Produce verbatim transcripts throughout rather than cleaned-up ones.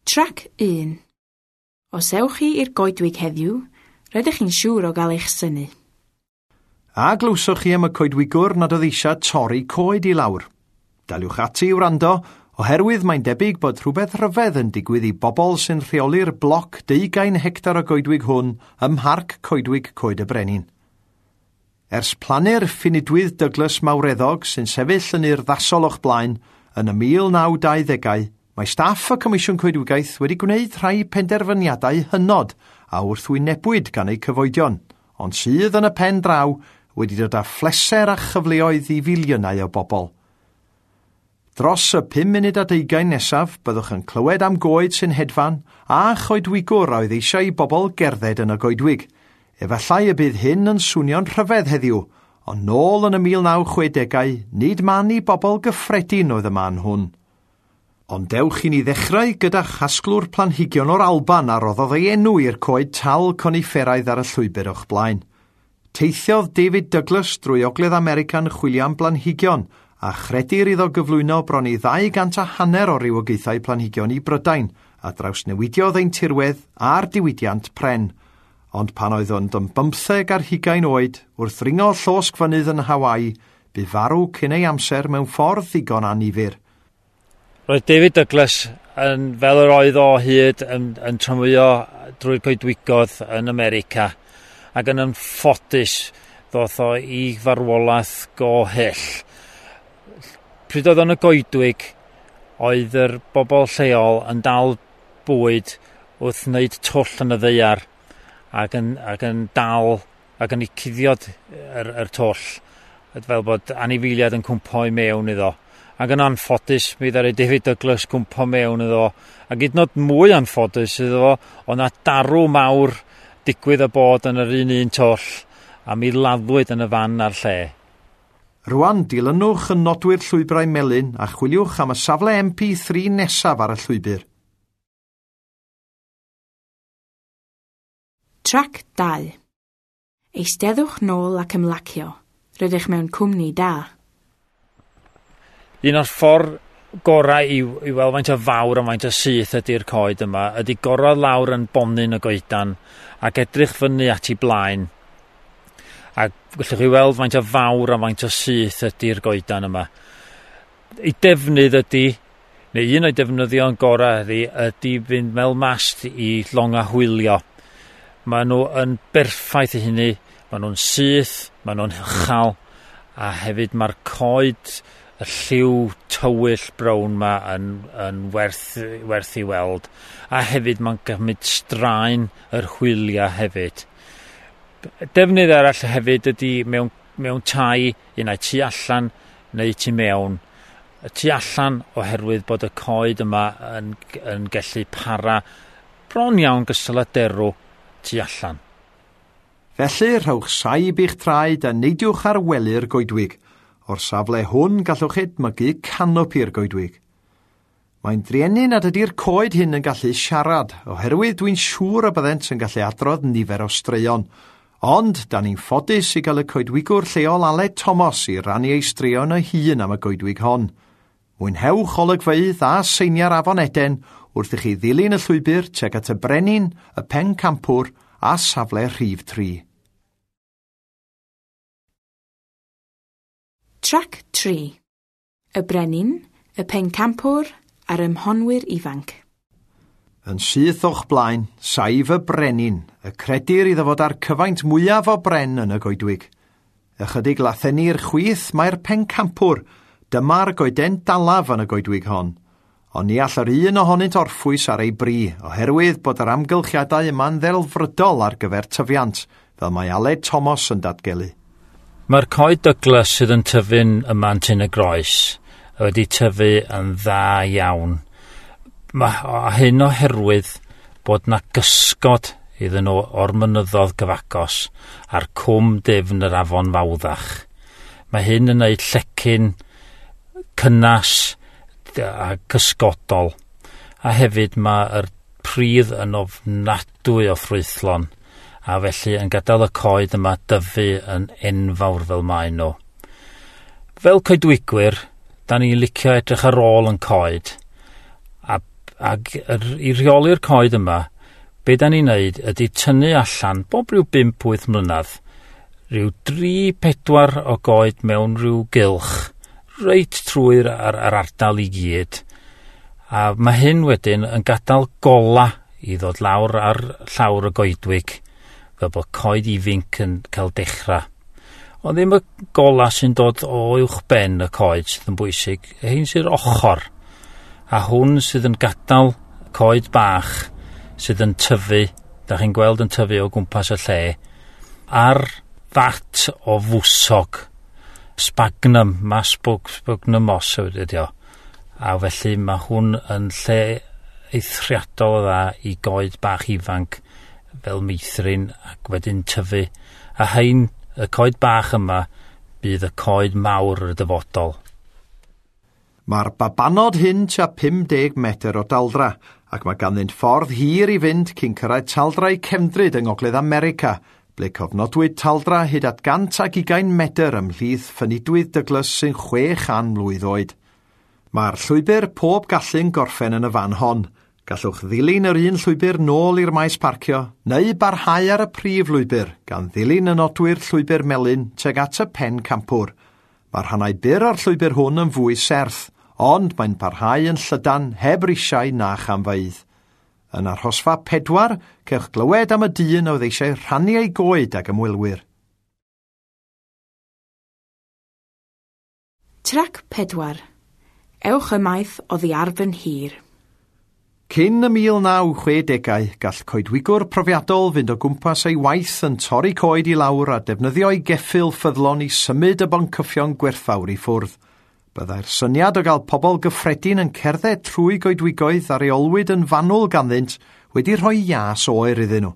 Trac un. Os ewch chi i'r goedwig heddiw, rydych chi'n siŵr o gael eich synnu. A glywsoch chi am y coedwigwr nad oedd eisiau torri coed i lawr. Daliwch ati i wrando, oherwydd mae'n debyg bod rhywbeth rhyfedd yn digwydd i bobl sy'n rheoli'r bloc deugain hectar o goedwig hwn ym Mharc Coedwig Coed y Brenin. Ers plannu'r ffinidwydd Douglas mawreddog sy'n sefyll yn urddasol o'ch blaen yn y mil naw dauddegau, mae staff y Comisiwn Coedwigaeth wedi gwneud rhai penderfyniadau hynod a wrthwynebwyd gan eu cyfoedion, ond sydd yn y pen draw wedi dod â phleser a chyfleoedd i filiynau o bobl. Dros y pum munud a deugain nesaf, byddwch yn clywed am goed sy'n hedfan a choedwigwr a oedd eisiau i bobl gerdded yn y goedwig. Efallai y bydd hyn yn swnio'n rhyfedd heddiw, ond nôl yn y mil naw chwedegau, nid man i bobl gyffredin oedd y man hwn. Ond dewch i ni ddechrau gyda chasglwr planhigion o'r Alban a roddodd ei enw i'r coed tal conifferaidd ar y llwybr o'ch blaen. Teithiodd David Douglas drwy Ogledd America'n chwilio am blanhigion a chredir iddo gyflwyno bron i ddau gant a hanner o rywogaethau planhigion i Brydain a drawsnewidiodd ein tirwedd a'r diwydiant pren. Ond pan oedd ond yn bymtheg ar hugain oed, wrth ddringo llosg fynydd yn Hawaii, bu farw cyn ei amser mewn ffordd ddigon annifyr. Roedd David Douglas yn, fel yr oedd o hyd yn, yn tramwyo drwy'r coedwigoedd yn America, ac yn anffodus ddoth o i farwolaeth go hyll. Pryd oedd yn y goedwig, oedd yr bobl lleol yn dal bwyd wrth wneud twll yn y ddaear ac yn, ac yn dal ac yn ei cuddiod yr, yr twll, fel bod anifeiliaid yn cwmpo i mewn iddo. Ac yn anffodus, mi ddaru David Douglas cwmpo mewn iddo. Ac hyd yn oed mwy anffodus iddo fo, oedd 'na darw mawr digwydd y bod yn yr un un twll, a mi laddwyd yn y fan a'r lle. Rwan, dilynwch y nodwyr llwybrau melyn a chwiliwch am y safle M P three nesaf ar y llwybr. Trac dau. Eisteddwch nôl ac ymlacio. Rydych mewn cwmni da. Un o'r ffordd gorau i, i weld faint o fawr a faint o syth ydy'r coed yma ydy gorau lawr yn bonyn y goedan ac edrych fyny at ei blaen. A gallwch chi weld faint o fawr a faint o syth ydy'r goedan yma. Ei defnydd ydy, neu un o'i defnyddion gorau ydy, ydy fynd fel mast i longa hwylio. Maen nhw yn berffaith i hynny, maen nhw'n syth, maen nhw'n uchel, a hefyd mae'r coed y lliw tywyll brown ma yn, yn werth, werth i weld. A hefyd mae'n gymryd straen yr hwyliau hefyd. Defnydd arall hefyd ydy mewn, mewn tai, un ai tu allan neu tu mewn. Y tu allan oherwydd bod y coed yma yn, yn gallu para bron iawn gystal â derw tu allan. Felly, rhowch saib i'ch traed a neidiwch ar wely'r goedwig. O'r safle hwn gallwch edmygu canopi'r goedwig. Mae'n drueni nad ydy'r coed hyn yn gallu siarad, oherwydd dwi'n siŵr y byddent yn gallu adrodd nifer o straeon. Ond, da ni'n ffodus i gael y coedwigwr lleol Aled Thomas i rannu ei straeon ei hun am y goedwig hon. Mwynhewch olygfeydd a seiniau'r Afon Eden wrth i chi ddilyn y llwybr tuag at y Brenin, y Pencampwr a safle rhif tri. Trac tri. Y Brenin, y Pencampwr a'r Ymhonwyr Ifanc. Yn syth o'ch blaen, saif y Brenin, y credir iddo fod â'r cyfaint mwyaf o bren yn y goedwig. Ychydig lathenni i'r chwith mae'r Pencampwr, dyma'r goeden dalaf yn y goedwig hon. Ond ni all yr un ohonynt orffwys ar ei bri, oherwydd bod yr amgylchiadau yma'n ddelfrydol ar gyfer tyfiant, fel mae Aled Thomas yn datgelu. Mae'r coed Douglas sydd yn tyfu'n yma yn Tyn y Groes wedi tyfu yn dda iawn. Mae hyn oherwydd bod na gysgod iddyn nhw o'r mynyddoedd gyfagos a'r cwm dyfn yr afon Fawddach. Mae hyn yn gwneud llecyn cynnas a cysgodol. A hefyd mae'r pridd yn ofnadwy o ffrwythlon, a felly yn gadael y coed yma dyfu yn enfawr fel maen nhw. Fel coedwigwyr, da ni'n licio edrych ar ôl yn coed, a, Ac yr, i rheoli'r coed yma, be da ni'n neud ydy tynnu allan bob rhyw bump wyth mlynedd, rhyw dri pedwar o goed mewn rhyw gylch, reit trwy'r ar, ar ardal i gyd. A mae hyn wedyn yn gadael gola i ddod lawr ar llawr y goedwig, fel bod coed ifinc yn cael dechrau. Ond ddim y gola sy'n dod o uwch ben y coed sydd yn bwysig, hyn sy'r ochr. A hwn sydd yn gadael coed bach sydd yn tyfu, da chi'n gweld yn tyfu o gwmpas y lle, ar fat o fwsog, sphagnum, masbwg, sphagnum moss ydy o. A felly mae hwn yn lle eithriadol o dda i goed bach ifanc fel meithrin ac wedyn tyfu. A hein, y coed bach yma, bydd y coed mawr yr dyfodol. Mae'r babanod hyn tua pum deg metr o daldra, ac mae ganddynt ffordd hir i fynd cyn cyrraedd taldrau cefndryd yng Ngogledd America, ble cofnodwyd taldra hyd at gant ag ugain metr ymhlith ffynidwydd Douglas sy'n chwe chan mlwydd oed. Mae'r llwybr pob gallu'n gorffen yn y fan hon. Gallwch ddilyn yr un llwybr nôl i'r maes parcio, neu barhau ar y prif lwybr, gan ddilyn y nodwyr llwybr melyn tuag at y pen campwr. Mae'r rhannau byr o'r llwybr hwn yn fwy serth, ond mae'n parhau yn llydan heb risiau na chamfeydd. Yn arhosfa pedwar, cewch glywed am y dyn oedd eisiau rhannu ei goed ag ymwelwyr. Trac pedwar. Ewch ymaith oddi ar fy nhir. Cyn y mil naw chwedegau, gall coedwigwr profiadol fynd o gwmpas ei waith yn torri coed i lawr a defnyddio ei geffyl ffyddlon i symud y boncyffion gwerthfawr i ffwrdd. Byddai'r syniad o gael pobl gyffredin yn cerdded trwy goedwigoedd a reolwyd yn fanwl ganddynt wedi rhoi ias oer iddyn nhw.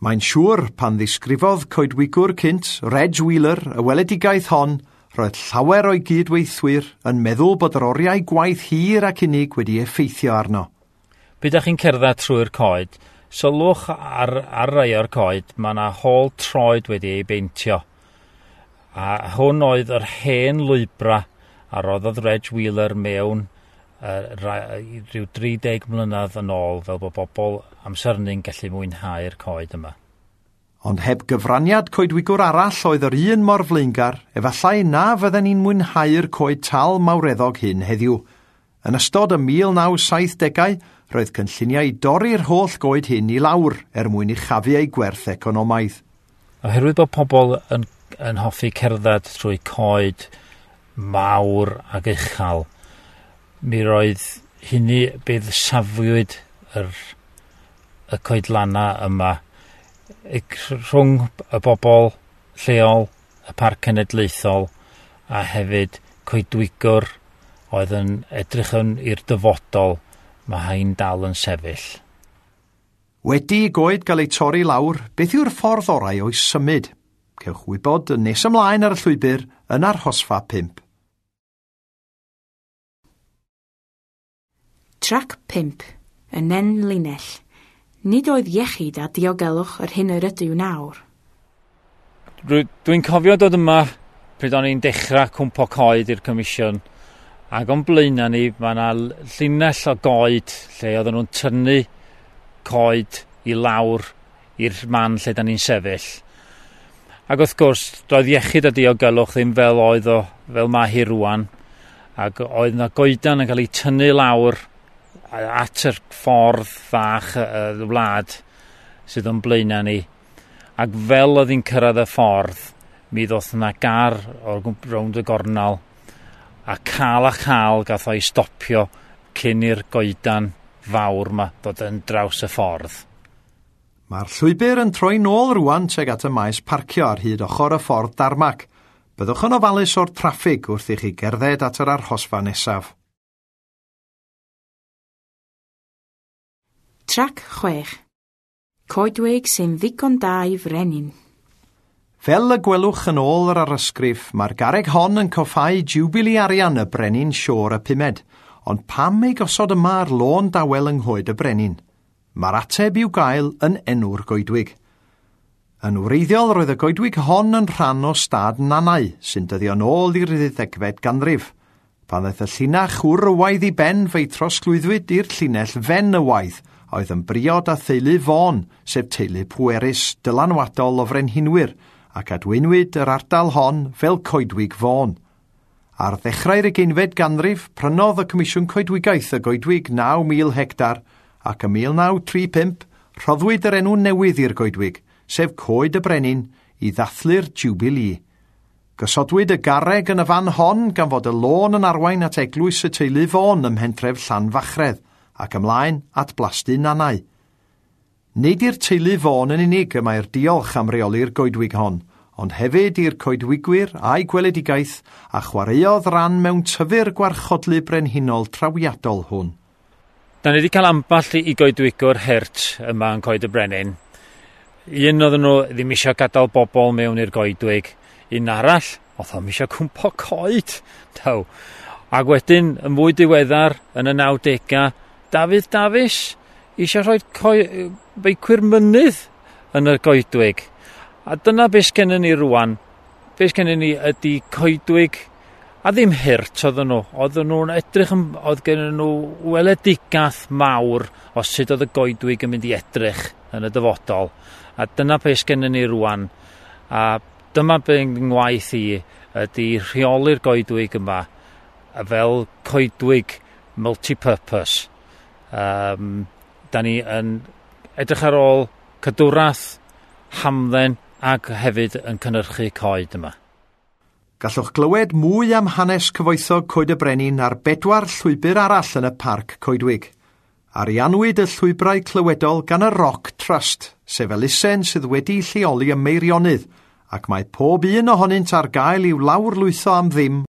Mae'n siŵr pan ddisgrifodd coedwigwr cynt, Reg Wheeler, y weledigaeth hon, roedd llawer o'i gydweithwyr yn meddwl bod yr oriau gwaith hir ac unig wedi effeithio arno. Pryd ydych chi'n cerdded trwy'r coed, sylwch ar, ar rai o'r coed, mae yna hôl troed wedi ei beintio. A hwn oedd yr hen lwybra a roddodd Reg Wheeler mewn uh, rhyw dri deg mlynedd yn ôl, fel bod bobl amser hynny'n gallu mwynhau'r coed yma. Ond heb gyfraniad coedwigwr arall oedd yr un mor flaengar, efallai na fydden ni'n mwynhau'r coed tal mawreddog hyn heddiw. Yn ystod y mil naw saith degau, roedd cynlluniau i dorri'r holl goed hyn i lawr er mwyn uchafu eu gwerth economaidd. Oherwydd bod pobl yn, yn hoffi cerdded trwy coed mawr ac uchel, mi roedd hynny bydd safwyd yr, y coedlanna yma rhwng y bobl lleol, y Parc Cenedlaethol a hefyd coedwigwr oedd yn edrych yn i'r dyfodol, mae hain dal yn sefyll. Wedi i goed gael ei torri lawr, beth yw'r ffordd orau o'i symud? Cewch wybod yn nes ymlaen ar y llwybr yn arhosfa pump. Trac pump, y nen linell. Nid oedd iechyd a diogelwch yr hyn yr ydyw nawr. Dwi'n cofio dod yma pryd o'n i'n dechrau cwmpo coed i'r comisiwn, ac o'n blaenau ni mae yna llinell o goed lle oedden nhw'n tynnu coed i lawr i'r man lle da ni'n sefyll. Ac wrth gwrs, doedd iechyd a diogelwch ddim fel oedd o, fel mae hi rwan, ac oedd yna goedan yn cael ei tynnu lawr at yr ffordd fach y wlad sydd o'n blaenau ni. Ac fel oedd hi'n cyrraedd y ffordd, mi ddoth yna gar o'r rownd y gornel, a cael a chael gath o'i stopio cyn i'r goedan fawr ma ddod yn draws y ffordd. Mae'r llwybr yn troi nôl rwan tuag at y maes parcio ar hyd ochr y ffordd darmac. Byddwch yn ofalus o'r traffig wrth i chi gerdded at yr arhosfa nesaf. Trac chwech. Coedwig sy'n ddigon da i frenin. Fel y gwelwch yn ôl yr arysgrif, mae'r garreg hon yn coffáu Jubilee arian y brenin Siôr y pumed, ond pam ei gosod yma ar lôn dawel yng Nghoed y Brenin? Mae'r ateb i'w gael yn enw'r goedwig. Yn wreiddiol roedd y goedwig hon yn rhan o stad Nannau, sy'n dyddio nôl i'r ddeuddegfed ganrif. Pan ddaeth y llinach wrywaidd i ben, fe'i trosglwyddwyd i'r llinell fenywaidd, a oedd yn briod â theulu Vaughan, sef teulu pwerus dylanwadol o frenhinwyr, ac adweinwyd yr ardal hon fel Coedwig Vaughan. Ar ddechrau'r ugeinfed ganrif, prynodd y Comisiwn Coedwigaeth y goedwig naw mil hectar, ac ym mil naw tri pump rhoddwyd yr enw newydd i'r goedwig, sef Coed y Brenin, i ddathlu'r Jubilee. Gosodwyd y garreg yn y fan hon gan fod y lôn yn arwain at eglwys y teulu Vaughan ym mhentref Llanfachredd ac ymlaen at Blasty Nannau. Nid i'r teulu Vaughan yn unig y mae'r diolch am reoli'r goedwig hon, ond hefyd i'r coedwigwyr a'i gweledigaeth a chwaraeodd ran mewn tyfu'r gwarchodlu brenhinol trawiadol hwn. Da ni wedi cael ambell i goedwigwr hurt yma yn Coed y Brenin. Un oedden nhw ddim eisiau gadael bobl mewn i'r goedwig. Un arall, oedd o'm eisiau cwmpo coed. Daw. Ac wedyn, yn fwy diweddar, yn y nawdegau, Dafydd Dafis eisiau rhoi coi- beicwyr mynydd yn y goedwig. A dyna beth sgennyn ni rwan. Beth sgennyn ni ydy coedwig, a ddim hurt oedden nhw. Oedden nhw'n edrych, yn, oedd gennyn nhw weledigaeth mawr o sut oedd y goedwig yn mynd i edrych yn y dyfodol. A dyna beth sgennyn ni rwan. A dyma be ngwaith i ydy rheoli'r goedwig yma fel coedwig multi-purpose. Um, da ni yn edrych ar ôl cadwraeth, hamdden ac hefyd yn cynhyrchu coed yma. Gallwch glywed mwy am hanes cyfoethog Coed y Brenin ar bedwar llwybr arall yn y parc coedwig. Ariannwyd y llwybrau clywedol gan y Rock Trust, sef elusen sydd wedi lleoli ym Meirionnydd, ac mae pob un ohonynt ar gael i'w lawrlwytho am ddim